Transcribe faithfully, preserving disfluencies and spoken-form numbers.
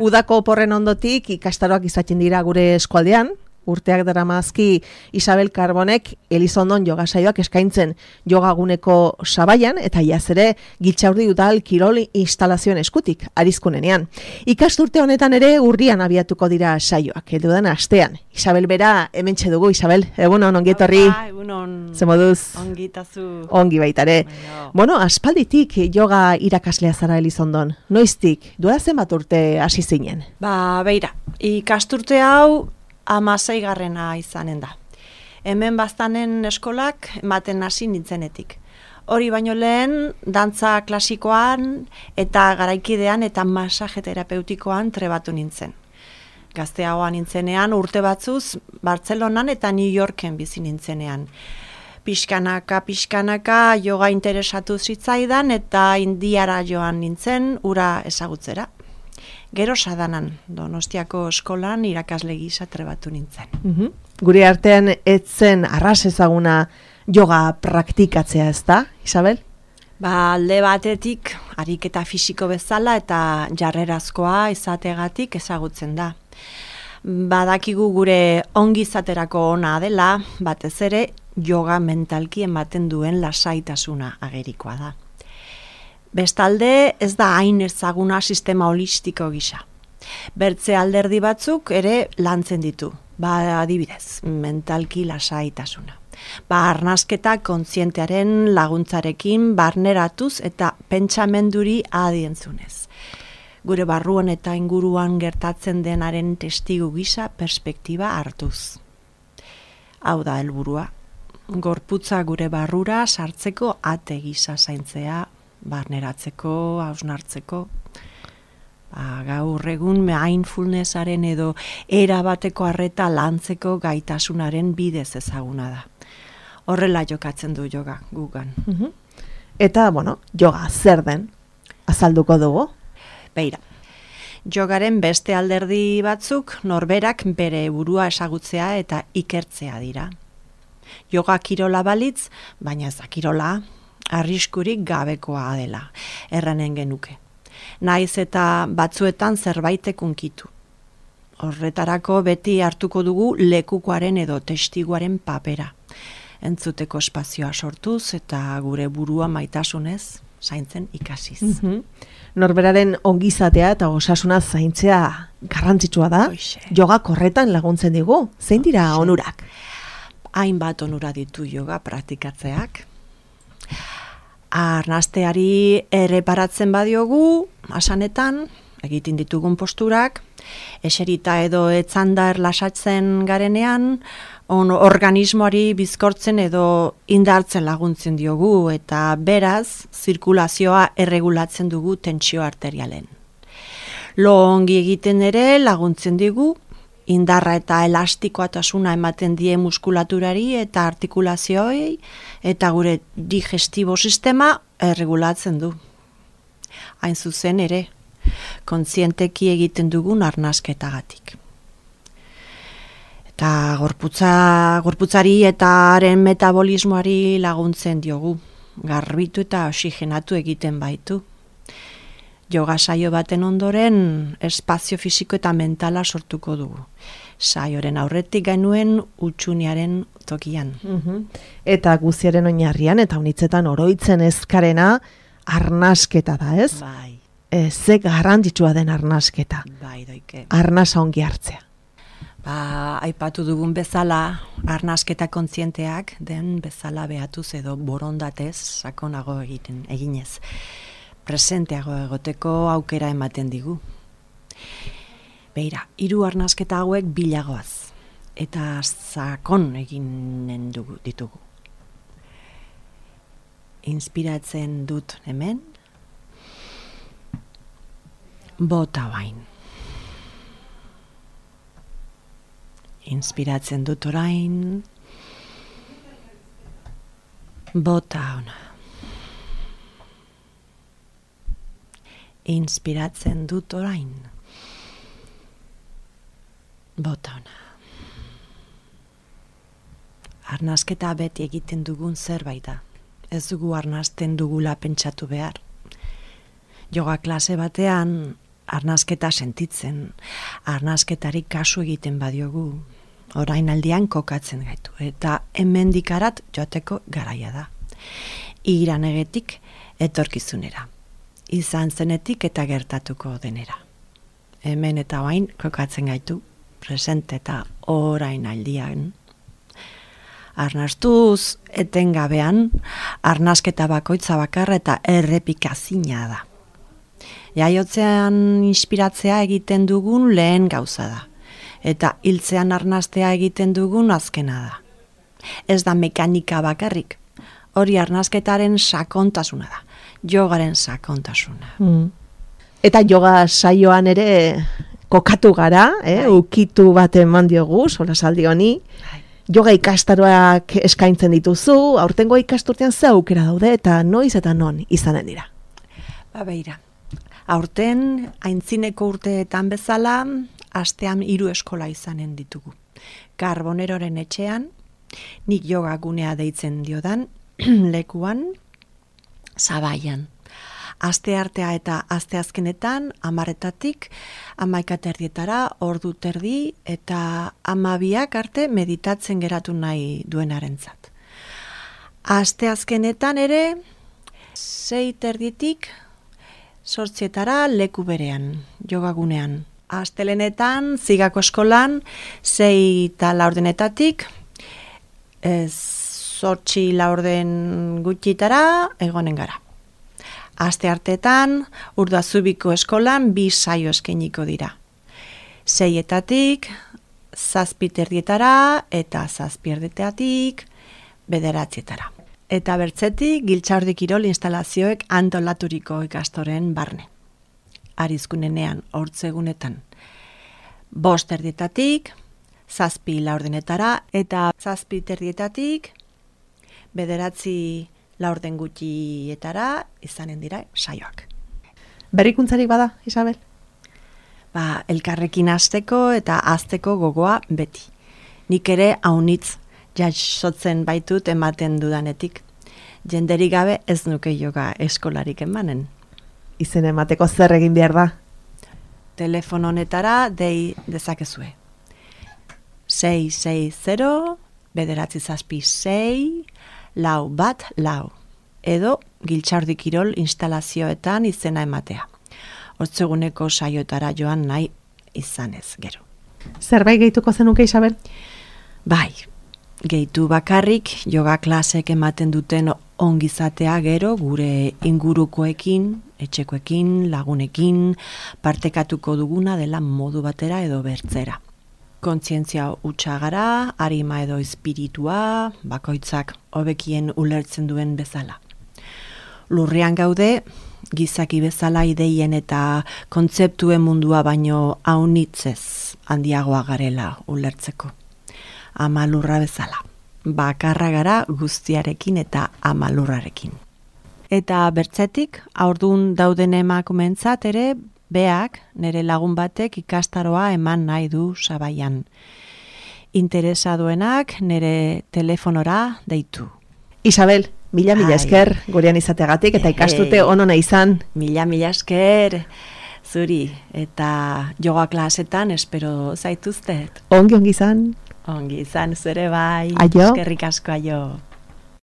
Udako oporren ondotik ikastaroak izaten dira gure eskualdean, urteak daramazki Isabel Karbonek Elizondon yoga saioak eskaintzen yogaguneko sabaian eta iaz ere Giltxaurdi udal kirol instalazioen eskutik arizkunenean. Ikasturte honetan ere urrian abiatuko dira saioak, heldudan astean. Isabel bera hementxe dugu. Isabel, egunon, ongi etorri. Egunon. Ze moduz? Ongi tazu. Ongi baitare. Bueno, aspalditik yoga irakaslea zara Elizondon. Noiztik, duela zenbat urte hasi zinen? Ba, beira, ikasturte hau amaseigarrena izanen da. Hemen baztanen eskolak ematen hasi nintzenetik. Hori baino lehen, dantza klasikoan eta garaikidean eta masaje terapeutikoan trebatu nintzen. Gazteagoa nintzenean urte batzuz Bartzelonan eta New Yorken bizi nintzenean. Pixkanaka, pixkanaka yoga interesatu zitzaidan eta Indiara joan nintzen ura ezagutzera. Gero Sadanan, Donostiako eskolan irakasle gisa trebatu nintzen. Uhum. Gure artean etzen arras ezaguna yoga praktikatzea, ez da, Isabel? Ba, alde batetik ariketa fisiko bezala eta jarrerazkoa izategatik ezagutzen da. Badakigu gure ongizaterako ona dela, batez ere yoga mentalki ematen duen lasaitasuna agerikoa da. Bestalde ez da hain ezaguna sistema holistiko gisa. Bertze alderdi batzuk ere lantzen ditu. Ba, adibidez, mentalki lasaitasuna. Ba, arnasketa kontzientearen laguntzarekin barneratuz eta pentsamenduri adientzunez. Gure barruan eta inguruan gertatzen denaren testigu gisa perspektiba hartuz. Hau da helburua. Gorputza gure barrura sartzeko ate gisa zaintzea, barneratzeko, hausnartzeko. Ba, gaur egun mindfulnessaren edo erabateko arreta lantzeko gaitasunaren bidez ezaguna da. Horrela jokatzen du yoga gugan. Uhum. Eta, bueno, yoga zer den? Azalduko dugu? Beira, jogaren beste alderdi batzuk norberak bere burua ezagutzea eta ikertzea dira. Yoga kirola balitz, baina ez da kirola, arriskurik gabekoa dela, erranen genuke. Naiz eta batzuetan zerbaitek unkitu. Horretarako beti hartuko dugu lekukoaren edo testiguaren papera. Entzuteko espazioa sortuz eta gure burua maitasunez zaintzen ikasiz. Uhum. Norberaren ongizatea eta osasuna zaintzea garrantzitsua da. Oixe. Yoga korretan laguntzen digu. Zein dira Oixe. onurak? Hainbat onura ditu yoga praktikatzeak. Arnasteari erreparatzen badiogu, asanetan, egiten ditugun posturak, eserita edo etzanda erlasatzen garenean, on organismoari bizkortzen edo indartzen laguntzen diogu eta beraz, zirkulazioa erregulatzen dugu tentsio arterialen. Lo ongi egiten ere laguntzen digu, indarra eta elastikoatasuna ematen die muskulaturari eta artikulazioei eta gure digestibo sistema erregulatzen du. Hain zuzen ere, kontzienteki egiten dugun arnasketagatik. Eta gorputza, gorputzari eta haren metabolismoari laguntzen diogu, garbitu eta oxigenatu egiten baitu. Yoga saio baten ondoren espazio fisiko eta mentala sortuko dugu. Saioren aurretik gainuen utxuniaren tokian. Uhum. Eta guziaren oinarrian eta unitzetan oroitzen ezkarena arnasketa da, ez? Bai, E, ze garrantzitsua den arnasketa. bai doike. Arnasa ongi hartzea. Ba, aipatu dugun bezala, arnasketa kontzienteak den bezala behatuz edo borondatez sakonago egiten eginez. Presenteago egoteko aukera ematen digu. Beira, hiru arnasketa hauek bilagoaz eta sakon eginen dugu ditugu. Inspiratzen dut hemen, bota bain. Inspiratzen dut orain, bota ona. Inspiratzen dut orain, bota ona. Arnasketa beti egiten dugun zerbait da. Ez dugu arnasten dugula pentsatu behar. Yoga klase batean arnasketa sentitzen, arnasketarik kasu egiten badiogu, orain aldian kokatzen gaitu, eta hemendikarat joateko garaia da. Iranegetik etorkizunera, izan zenetik eta gertatuko denera. Hemen eta orain kokatzen gaitu, presente eta orain aldian. Arnastuz etengabean, arnasketa bakoitza bakarra eta errepikazina da. Jaiotzean inspiratzea egiten dugun lehen gauza da, eta hiltzean arnastea egiten dugun azkena da. Ez da mekanika bakarrik, hori arnasketaren sakontasuna da, jogaren sakontasuna. Mm. Eta yoga saioan ere kokatu gara, eh? Ukitu bat eman diogu, solasaldi honi. Yoga ikastaroak eskaintzen dituzu, aurtengo ikasturtean ze aukera daude eta noiz eta non izanen dira? Ba beira, aurten aintzineko urteetan bezala, astean hiru eskola izanen ditugu. Karboneroren etxean, nik yoga gunea deitzen diodan, lekuan, Zabaian. Aste artea eta aste azkenetan, amaretatik, amaika terdietara, ordu terdi, eta amabiak arte meditatzen geratu nahi duenarentzat. Aste azkenetan ere, sei terditik, sortzietara leku berean, jogagunean. Astelenetan, Zigako eskolan, sei eta laurdenetatik, zortzi laurden gutxitara egonen gara. Aste artetan, Urdazubiko eskolan bi saio eskainiko dira. Seietatik, zazpiterdietara eta zazpierdetatik bederatzietara. Eta bertzetik, Giltxaurdi kirol instalazioek antolaturiko ikastoren barne. Arizkunenean, hortzegunetan, bost erdietatik, zazpi laurdenetara eta zazpiterdietatik bederatzi laurden gutxietara izanen dira saioak. Berrikuntzarik bada, Isabel? Ba, elkarrekin hasteko eta hazteko gogoa beti. Nik ere haunitz jasotzen baitut ematen dudanetik. Jenderik gabe ez nuke yoga eskolarik emanen. Izen emateko zer egin behar da? Telefono honetara dei dezakezue. sei sei zero, bederatzi zazpi sei, lau bat lau, edo Giltxaurdi kirol instalazioetan izena ematea. Hortzeguneko saioetara joan nahi izanez gero. Zerbait gehituko zenuke, Isabel? Bai, gehitu bakarrik yoga klasek ematen duten ongizatea gero gure ingurukoekin, etxekoekin, lagunekin, partekatuko duguna dela modu batera edo bertzera. Kontzientzia hutsa gara, arima edo espiritua, bakoitzak hobekien ulertzen duen bezala. Lurrean gaude, gizaki bezala ideien eta kontzeptuen mundua baino haunitzez handiagoa garela ulertzeko. Ama lurra bezala, bakarra gara guztiarekin eta ama lurrarekin. Eta bertzetik, haurdun dauden emakumeentzat ere, beak, nire lagun batek ikastaroa eman nahi du Zabaian. Interesa duenak nire telefonora deitu. Isabel, mila mila esker gurean izateagatik eta ikastute onona izan. Mila mila esker zuri eta yoga klasetan espero zaituztet. Ongi ongi izan. Ongi izan zure bai. Aio. Eskerrik asko aio.